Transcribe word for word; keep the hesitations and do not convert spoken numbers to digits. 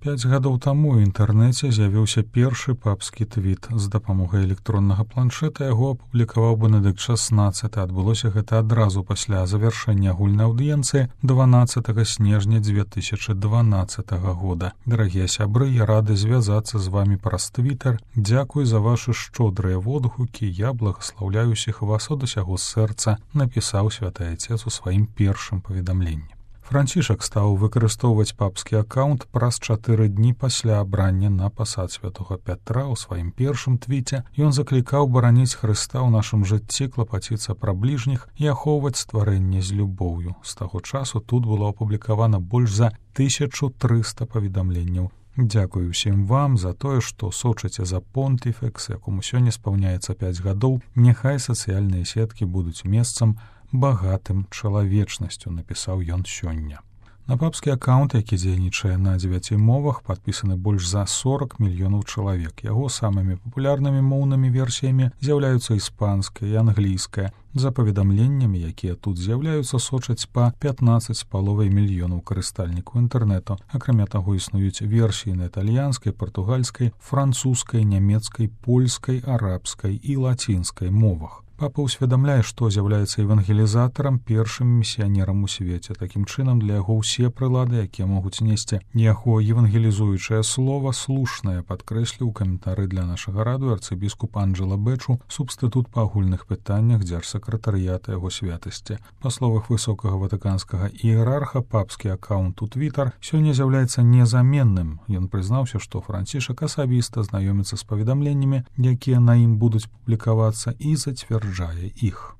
Пяць гадоў таму ў інтэрнэце з'явіўся першы папскі твіт. З дапамогай электроннага планшета яго апублікаваў Бенедыкт шаснаццаты. Адбылося гэта адразу пасля завяршэння агульнай аўдыенцыі дванаццатага снежня дзве тысячы дванаццатага года. Дарагія сябры, я рады звязацца з вамі праз твітер. Дзякуй за вашы шчодрыя водгукі. Я благаслаўляю усіх вас ад усяго сэрца, напісаў святы айцец у сваім першым паведамленні. Францішак стаў выкарыстоўваць папскі аккаунт праз чатыры дні пасля абрання на пасад святога Пятра. У сваім першым твіце ён заклікаў бараніць Хрыста ў нашым жыцці, клапаціцца пра бліжніх і ахоўваць стварэнне з любоўю. З таго часу тут было апублікавана больш за тысячу трыста паведамленняў. Дзякую ўсім вам за тое, што сочыце за понтыфекс, якому сёння спаўняецца пяць гадоў. Няхай сацыяльныя сеткі будуць месцам багатым чалавечнасцю, напісаў ён сёння. На папскі аккаунт, які дзейнічае на дзевяці мовах, падпісаны больш за сорок мільёнаў чалавек. Яго самымі папулярнымі моўнымі версіямі з'яўляюцца іспанская і англійская. За паведамленнямі, якія тут з'яўляюцца, сочаць па пятнаццаць з паловай мільёнаў карыстальнікаў інтэрнэту. Акрамя таго, існуюць версіі на італьянскай, партугальскай, французскай, нямецкай, польскай, арабскай і лацінскай мовах. Папа ўсведамляе, што з'яўляецца евангелізатарам, першым місіянерам у свеце. Такім чынам, для яго ўсе прылады, якія могуць несці яго евангелізуючае слова, слушнае, падкрэсліў у каментары для нашага раду арцыбіскуп Анджела Бэчу, субстытут па агульных пытаннях дзяржсакратарыята яго святасці. Па словах высокага ватыканскага іерарха, папскі аккаунт у твітер сёння з'яўляецца незаменным. Ён прызнаўся, што Францішак асабіста знаёміцца з паведамленнямі, якія на ім будуць публікавацца, і зацвярджае іх.